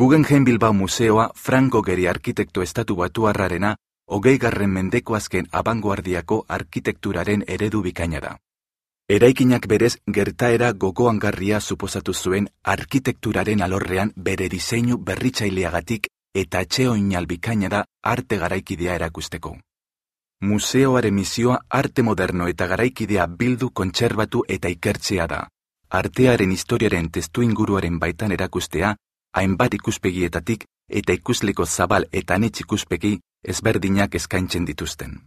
Guggenheim Bilbao Museoa Franco Gehry arkitekto estatubatuarrarena 20. mendeko azken abangoardiako arkitekturaren eredu bikaina da. Eraikinak berez gertaera gogoangarria suposatu zuen arkitekturaren alorrean bere diseinu berritzaileagatik eta atseoinal bikaina da arte garaikidea erakusteko. Museoaren misioa arte moderno eta garaikidea bildu, kontserbatu eta ikertzea da. Artearen historiaren testuinguruaren baitan erakustea, hainbat ikuspegietatik eta ikusleko zabal eta anitz ikuspegi ezberdinak eskaintzen dituzten.